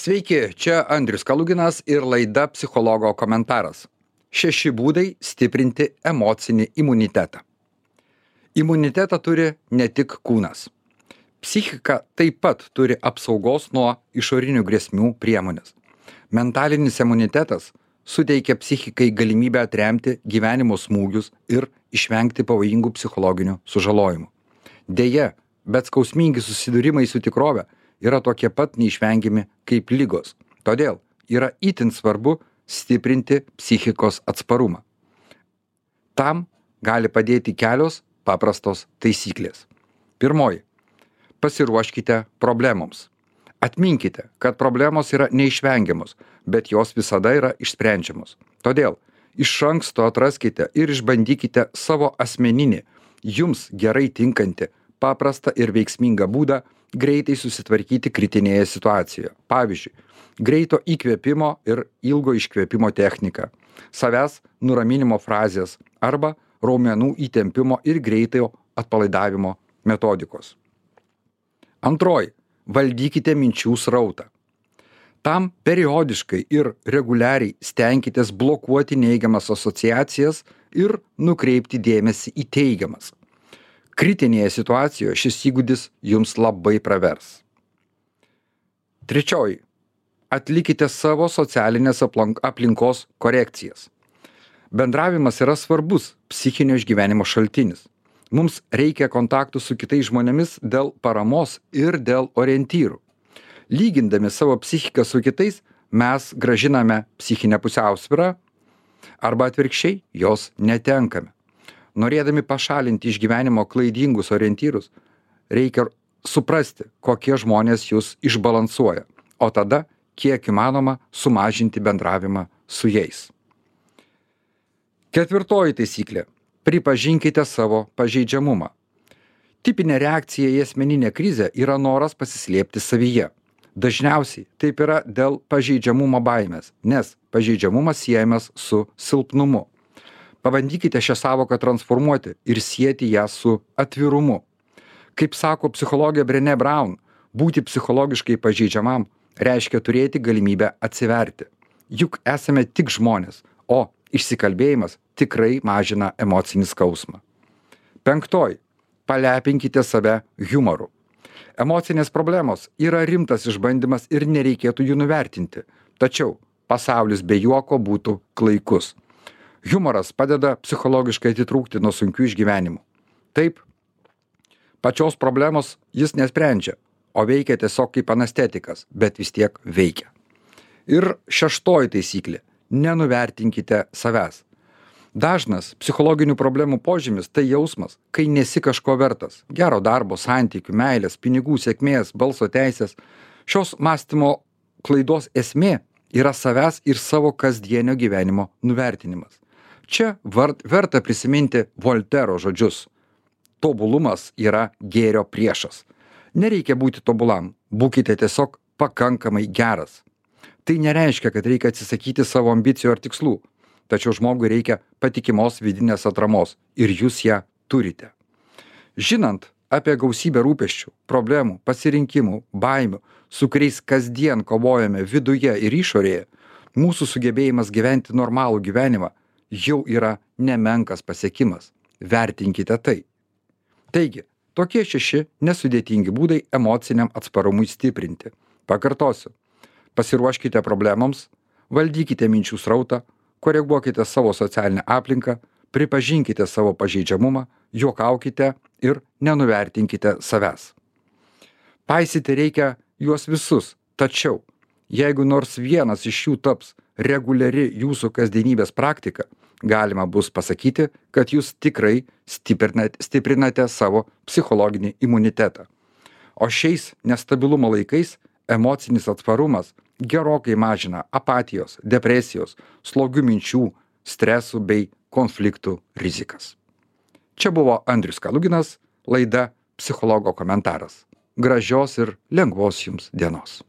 Sveiki, čia Andrius Kaluginas ir laida Psichologo komentaras. 6 būdai stiprinti emocinį imunitetą. Imunitetą turi ne tik kūnas. Psichika taip pat turi apsaugos nuo išorinių grėsmių priemonės. Mentalinis imunitetas suteikia psichikai galimybę atremti gyvenimo smūgius ir išvengti pavojingų psichologinių sužalojimų. Deja, bet skausmingi susidūrimai su tikrove yra tokie pat neišvengiami kaip ligos. Todėl yra itin svarbu stiprinti psichikos atsparumą. Tam gali padėti kelios paprastos taisyklės. Pirmoji. Pasiruoškite problemoms. Atminkite, kad problemos yra neišvengiamos, bet jos visada yra išsprendžiamos. Todėl iš anksto atraskite ir išbandykite savo asmeninį, jums gerai tinkantį, paprastą ir veiksmingą būdą greitai susitvarkyti kritinėje situacijoje. Pavyzdžiui, greito įkvėpimo ir ilgo iškvėpimo technika, savęs nuraminimo frazės arba raumenų įtempimo ir greitojo atpalaidavimo metodikos. Antroji. Valdykite minčių srautą. Tam periodiškai ir reguliariai stenkitės blokuoti neigiamas asociacijas ir nukreipti dėmesį į teigiamas. Kritinėje situacijoje šis įgūdis jums labai pravers. Trečioji. Atlikite savo socialinės aplinkos korekcijas. Bendravimas yra svarbus psichinio išgyvenimo šaltinis. Mums reikia kontaktų su kitais žmonėmis dėl paramos ir dėl orientyrų. Lygindami savo psichiką su kitais, mes gražiname psichinę pusiausvyrą arba atvirkščiai jos netenkame. Norėdami pašalinti iš gyvenimo klaidingus orientyrus, reikia suprasti, kokie žmonės jūs išbalansuoja, o tada, kiek įmanoma, sumažinti bendravimą su jais. Ketvirtoji taisyklė. Pripažinkite savo pažeidžiamumą. Tipinė reakcija į asmeninę krizę yra noras pasislėpti savyje. Dažniausiai taip yra dėl pažeidžiamumo baimės, nes pažeidžiamumas siejamas su silpnumu. Pabandykite šią savoką transformuoti ir sieti ją su atvirumu. Kaip sako psichologė Brené Brown, būti psichologiškai pažeidžiamam reiškia turėti galimybę atsiverti. Juk esame tik žmonės, o išsikalbėjimas tikrai mažina emocinį skausmą. Penktoji. Palepinkite save humoru. Emocinės problemos yra rimtas išbandymas ir nereikėtų jų nuvertinti. Tačiau pasaulis be juoko būtų klaikus. Humoras padeda psichologiškai atitrūkti nuo sunkių išgyvenimų. Taip, pačios problemos jis nesprendžia, o veikia tiesiog kaip anestetikas, bet vis tiek veikia. Ir šeštoji taisyklė. Nenuvertinkite savęs. Dažnas psichologinių problemų požymis tai jausmas, kai nesi kažko vertas. Gero darbo, santykių, meilės, pinigų, sėkmės, balso teisės. Šios mąstymo klaidos esmė yra savęs ir savo kasdienio gyvenimo nuvertinimas. Čia verta prisiminti Voltero žodžius. Tobulumas yra gėrio priešas. Nereikia būti tobulam, būkite tiesiog pakankamai geras. Tai nereiškia, kad reikia atsisakyti savo ambicijų ar tikslų, tačiau žmogui reikia patikimos vidinės atramos ir jūs ją turite. Žinant apie gausybę rūpesčių, problemų, pasirinkimų, baimių, su kuriais kasdien kovojame viduje ir išorėje, mūsų sugebėjimas gyventi normalų gyvenimą jau yra nemenkas pasiekimas. Vertinkite tai. Taigi, tokie 6 nesudėtingi būdai emociniam atsparumui stiprinti. Pakartosiu. Pasiruoškite problemoms, valdykite minčių srautą, koreguokite savo socialinę aplinką, pripažinkite savo pažeidžiamumą, juokaukite ir nenuvertinkite savęs. Paisyti reikia juos visus, tačiau jeigu nors vienas iš jų taps reguliari jūsų kasdienybės praktika, galima bus pasakyti, kad jūs tikrai stiprinate savo psichologinį imunitetą. O šiais nestabilumo laikais emocinis atsparumas gerokai mažina apatijos, depresijos, slogių minčių, stresų bei konfliktų rizikas. Čia buvo Andrius Kaluginas, laida Psichologo komentaras. Gražios ir lengvos jums dienos.